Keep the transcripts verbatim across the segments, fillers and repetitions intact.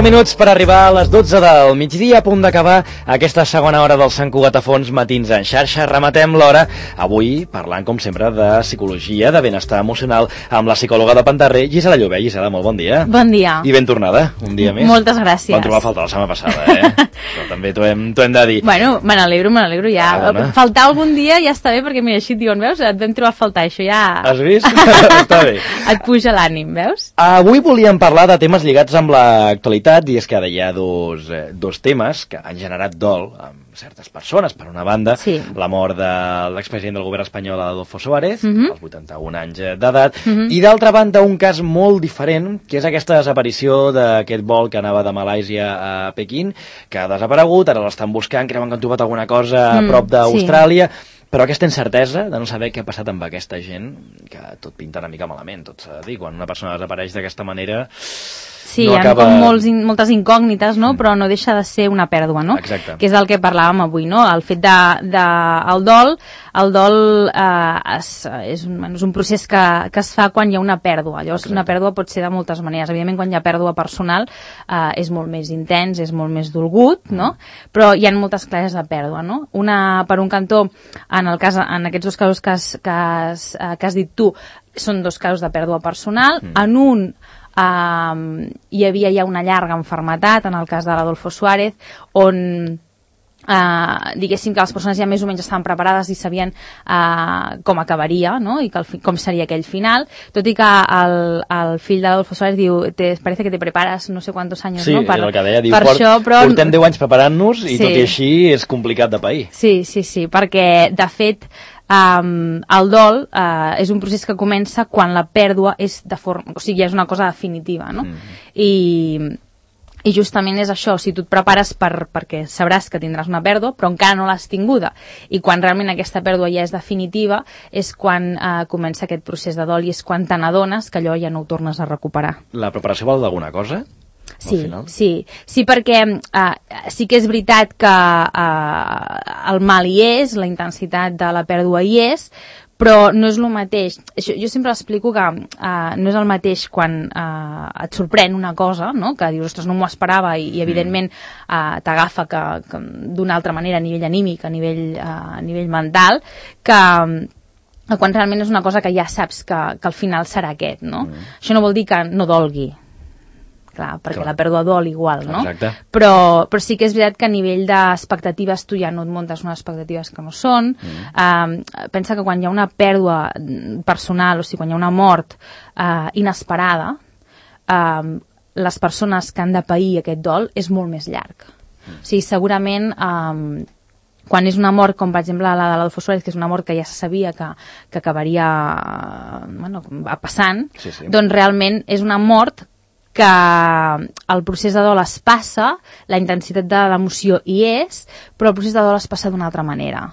deu minuts per arribar a les dotze del migdia, a punt d'acabar aquesta segona hora del Sant Cugat a Fons Matins en xarxa. Rematem l'hora, avui parlant, com sempre, de psicologia, de benestar emocional, amb la psicòloga de Pentarrer, Gisela Llobé. Gisela, molt bon dia. Bon dia. I ben tornada, un dia més. Moltes gràcies. Vam trobar a faltar la setmana passada, eh? Però també t'ho hem, t'ho hem de dir. Bueno, me n'alegro, me n'alegro ja. Ah, faltar algun dia ja està bé, perquè mira, així et diuen, veus, et vam trobar a faltar, això ja... Has vist? Està bé. Et puja l'ànim, veus? Avui volíem parlar de temes lligats amb l'actualitat, i és que hi ha dos, eh, dos temes que han generat dol amb certes persones. Per una banda, sí. la mort de l'expresident del govern espanyol, Adolfo Suárez, uh-huh. als vuitanta-un anys d'edat, uh-huh. i d'altra banda un cas molt diferent, que és aquesta desaparició d'aquest vol que anava de Malàisia a Pequín, que ha desaparegut, ara l'estan buscant, creuen que han trobat alguna cosa a prop mm, d'Austràlia, sí. Però aquesta incertesa de no saber què ha passat amb aquesta gent, que tot pinta una mica malament, tot s'ha de dir, quan una persona desapareix d'aquesta manera... Sí, no hi ha acaba... com molts, moltes incògnites, no? Mm. Però no deixa de ser una pèrdua, no? Exacte. Que és del que parlàvem avui, no? El fet de, de el dol, el dol eh, és, és, un, és un procés que, que es fa quan hi ha una pèrdua. Llavors, exacte. Una pèrdua pot ser de moltes maneres. Evidentment, quan hi ha pèrdua personal eh, és molt més intens, és molt més dolgut, mm. no? Però hi ha moltes classes de pèrdua, no? Una, per un cantó, en, el cas, en aquests dos casos que has, que has, que has dit tu, són dos casos de pèrdua personal. Mm. En un Uh, hi havia ja una llarga enfermetat, en el cas de l'Adolfo Suárez, on uh, diguéssim que les persones ja més o menys estaven preparades i sabien uh, com acabaria, no? I que el fi, com seria aquell final, tot i que el, el fill d'Adolfo Suárez diu, te, parece que te preparas no sé quantos años, sí, no? Per, és el que deia, diu, per port, això, però... portem deu anys preparant-nos i sí. tot i així és complicat de pair. Sí, sí, sí, perquè de fet Um, el dol uh, és un procés que comença quan la pèrdua és de forma, o sigui, és una cosa definitiva, no? Mm. I, i justament és això, si tu et prepares per, perquè sabràs que tindràs una pèrdua, però encara no l'has tinguda, i quan realment aquesta pèrdua ja és definitiva, és quan uh, comença aquest procés de dol i és quan te n'adones que allò ja no ho tornes a recuperar. La preparació val d'alguna cosa? Sí, sí, sí, perquè uh, sí que és veritat que uh, el mal hi és, la intensitat de la pèrdua hi és, però no és el mateix. Jo, jo sempre explico que uh, no és el mateix quan uh, et sorprèn una cosa, no? Que dius, ostres, no m'ho esperava, i, i evidentment uh, t'agafa que, que d'una altra manera a nivell anímic, a nivell, uh, a nivell mental, que... quan realment és una cosa que ja saps que, que al final serà aquest, no? Mm. Això no vol dir que no dolgui. Clar, perquè Clar. La pèrdua dol igual, no? Exacte. Però, però sí que és veritat que a nivell d'expectatives tu ja no et muntes unes expectatives que no són. Mm. Um, pensa que quan hi ha una pèrdua personal, o sigui, quan hi ha una mort uh, inesperada, um, les persones que han de pair aquest dol és molt més llarg. Mm. O sigui, segurament... Um, quan és una mort, com per exemple la de l'Adolfo Suárez, que és una mort que ja se sabia que, que acabaria bueno, passant, sí, sí. Doncs realment és una mort que el procés de dol es passa, la intensitat de l'emoció hi és, però el procés de dol es passa d'una altra manera.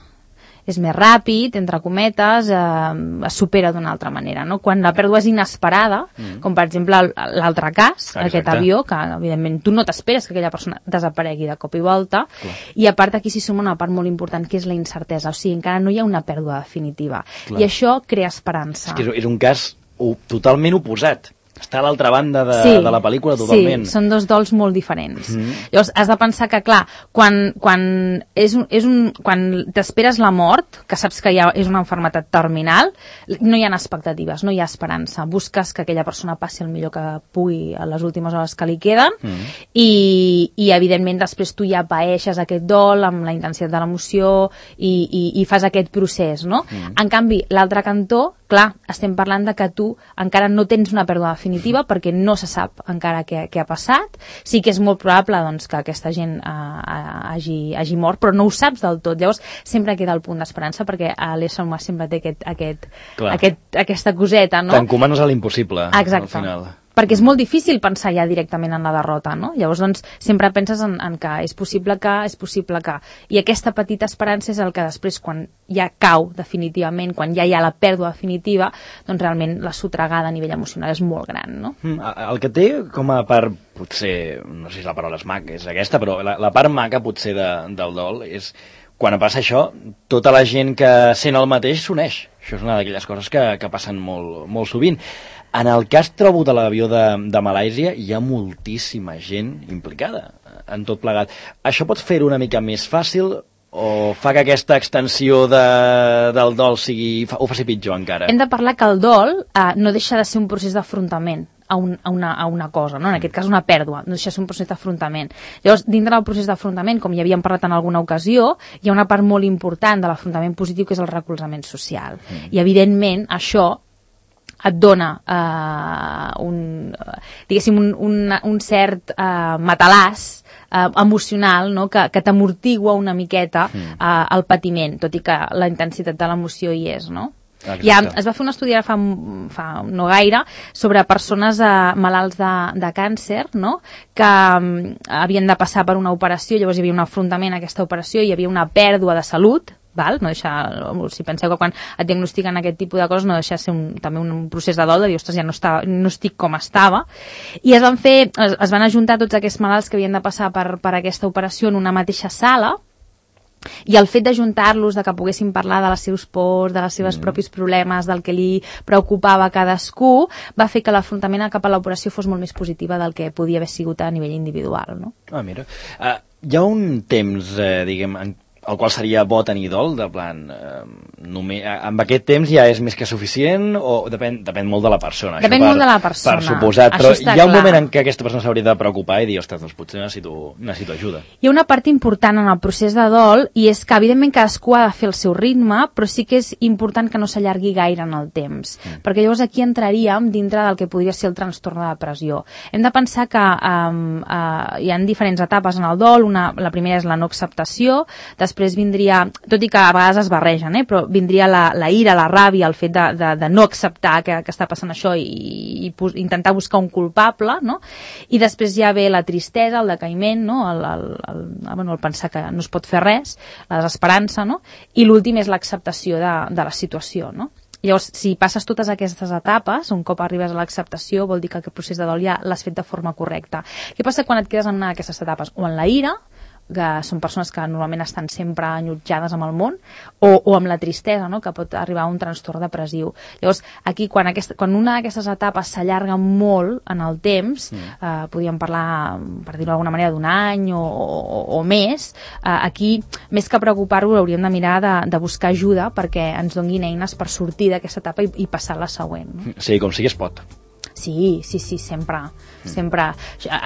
És més ràpid, entre cometes, eh, es supera d'una altra manera, no? Quan la pèrdua és inesperada, mm. com per exemple l'altre cas, exacte. Aquest avió, que evidentment tu no t'esperes que aquella persona desaparegui de cop i volta, clar. I a part aquí sí som una part molt important, que és la incertesa, o sigui, encara no hi ha una pèrdua definitiva, clar. I això crea esperança. És que és un cas totalment oposat. Està a l'altra banda de, sí, de la pel·lícula totalment. Sí, són dos dols molt diferents. Mm-hmm. Llavors, has de pensar que, clar, quan, quan, és un, és un, quan t'esperes la mort, que saps que ja és una malaltia terminal, no hi ha expectatives, no hi ha esperança. Busques que aquella persona passi el millor que pugui a les últimes hores que li queden, mm-hmm. i, i, evidentment, després tu ja paeixes aquest dol amb la intensitat de l'emoció i, i, i fas aquest procés, no? Mm-hmm. En canvi, l'altre cantó, clar, estem parlant de que tu encara no tens una pèrdua definitiva perquè no se sap encara què, què ha passat. Sí que és molt probable doncs, que aquesta gent uh, hagi, hagi mort, però no ho saps del tot. Llavors sempre queda el punt d'esperança perquè l'ésser humà sempre té aquest, aquest, aquest, aquesta coseta, no? T'encomanes a l'impossible. Exacte. Al final. Perquè és molt difícil pensar ja directament en la derrota, no? Llavors, doncs, sempre penses en, en que és possible que, és possible que... I aquesta petita esperança és el que després, quan ja cau definitivament, quan ja hi ha la pèrdua definitiva, doncs realment la sotregada a nivell emocional és molt gran, no? Mm, el que té com a part, potser, no sé si la paraula és maca, és aquesta, però la, la part maca potser de, del dol és quan passa això, tota la gent que sent el mateix s'uneix. Això és una d'aquelles coses que, que passen molt, molt sovint. En el cas, trobo, de l'avió de, de Malàisia, hi ha moltíssima gent implicada en tot plegat. Això pot fer-ho una mica més fàcil o fa que aquesta extensió de, del dol sigui, ho faci pitjor encara? Hem de parlar que el dol eh, no deixa de ser un procés d'afrontament a, un, a, una, a una cosa, no? En aquest cas una pèrdua, no deixa de ser un procés d'afrontament. Llavors, dintre del procés d'afrontament, com ja havíem parlat en alguna ocasió, hi ha una part molt important de l'afrontament positiu que és el recolzament social. Mm. I evidentment això et dona uh, un, diguéssim, un, un, un cert uh, matalàs uh, emocional, no? que, que t'amortigua una miqueta uh, el patiment, tot i que la intensitat de l'emoció hi és, no? Ja, es va fer un estudi fa, fa no gaire sobre persones uh, malalts de, de càncer, no? que um, havien de passar per una operació, llavors hi havia un afrontament a aquesta operació, hi havia una pèrdua de salut, val? No deixa, si penseu que quan et diagnostiquen aquest tipus de coses no deixa de ser un, també un procés de dol, de dir, ostres, ja no, està, no estic com estava, i es van fer, es, es van ajuntar tots aquests malalts que havien de passar per, per aquesta operació en una mateixa sala, i el fet d'ajuntar-los, de que poguessin parlar de les seus pors, de les seves mm. propis problemes, del que li preocupava a cadascú, va fer que l'afrontament cap a l'operació fos molt més positiva del que podia haver sigut a nivell individual, no? Ah, mira. Uh, hi ha un temps, eh, diguem, en el qual seria bo tenir dol, de plan, eh, només, amb aquest temps ja és més que suficient, o depèn, depèn molt de la persona? Depèn per, molt de la persona. Per suposat, això però hi ha un clar. moment en què aquesta persona s'hauria de preocupar i dir, ostres, doncs potser necessito, necessito ajuda. Hi ha una part important en el procés de dol, i és que evidentment cadascú ha de fer el seu ritme, però sí que és important que no s'allargui gaire en el temps, mm. perquè llavors aquí entraríem dintre del que podria ser el trastorn de depressió. Hem de pensar que um, uh, hi ha diferents etapes en el dol, una, la primera és la no acceptació, després vindria, tot i que a vegades es barregen, eh, però vindria la, la ira, la ràbia, el fet de, de, de no acceptar que, que està passant això i, i, i intentar buscar un culpable, no? I després ja ve la tristesa, el decaïment, no? el, el, el, bueno, el pensar que no es pot fer res, la desesperança, no? I l'últim és l'acceptació de, de la situació, no? Llavors, si passes totes aquestes etapes, un cop arribes a l'acceptació, vol dir que aquest procés de dol ja l'has fet de forma correcta. Què passa quan et quedes en una d'aquestes etapes? O en la ira, que són persones que normalment estan sempre enllutjades amb el món, o, o amb la tristesa, no? que pot arribar a un trastorn depressiu. Llavors, aquí, quan, aquesta, quan una d'aquestes etapes s'allarga molt en el temps, mm. eh, podríem parlar, per dir-ho d'alguna manera, d'un any o, o, o més, eh, aquí, més que preocupar-vos, hauríem de mirar de, de buscar ajuda perquè ens donguin eines per sortir d'aquesta etapa i, i passar a la següent. No? Sí, com sigui es pot. Sí, sí, sí, sempre, mm. sempre.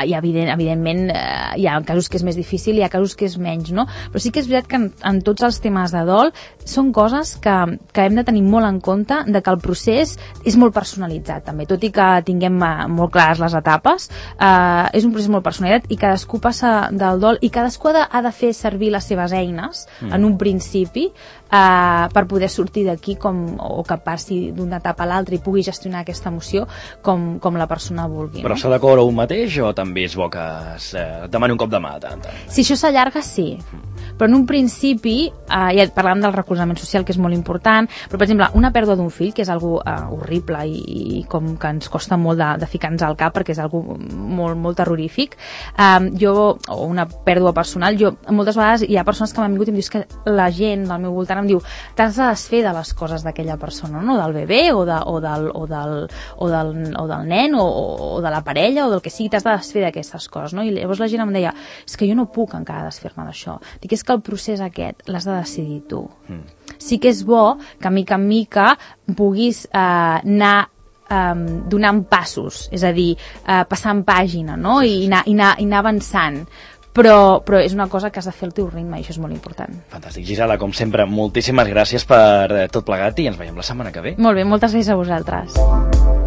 I evident, evidentment eh, hi ha casos que és més difícil, hi ha casos que és menys, no? Però sí que és veritat que en, en tots els temes de dol són coses que, que hem de tenir molt en compte, de que el procés és molt personalitzat també, tot i que tinguem eh, molt clares les etapes, eh, és un procés molt personalitzat i cadascú passa del dol i cadascú ha de, ha de fer servir les seves eines mm. en un principi eh, per poder sortir d'aquí com, o que passi d'una etapa a l'altra i pugui gestionar aquesta emoció com com la persona vulgui. Però no? s'ha de cobrar un mateix o també és bo que es eh, demani un cop de mà? Tant, tant? Si això s'allarga, sí. Però en un principi, eh, ja parlàvem del recolzament social, que és molt important, però per exemple, una pèrdua d'un fill, que és algo eh, horrible i, i com que ens costa molt de, de ficar-nos al cap, perquè és algo molt, molt terrorífic, eh, jo, o una pèrdua personal, jo moltes vegades hi ha persones que m'han vingut i em dius que la gent del meu voltant em diu t'has de desfer de les coses d'aquella persona, no? Del bebè o, de, o, del, o, del, o, del, o del nen o, o de la parella o del que sigui, t'has de desfer d'aquestes coses, no? I llavors la gent em deia, és que jo no puc encara desfer-me d'això. Dic, és que el procés aquest l'has de decidir tu. Mm. Sí que és bo que mica en mica puguis eh, anar eh, donant passos, és a dir, eh, passant pàgina, no? I anar, i anar, i anar avançant. Però, però és una cosa que has de fer el teu ritme i això és molt important. Fantàstic. Gisela, com sempre, moltíssimes gràcies per tot plegat i ens veiem la setmana que ve. Molt bé, moltes gràcies a vosaltres.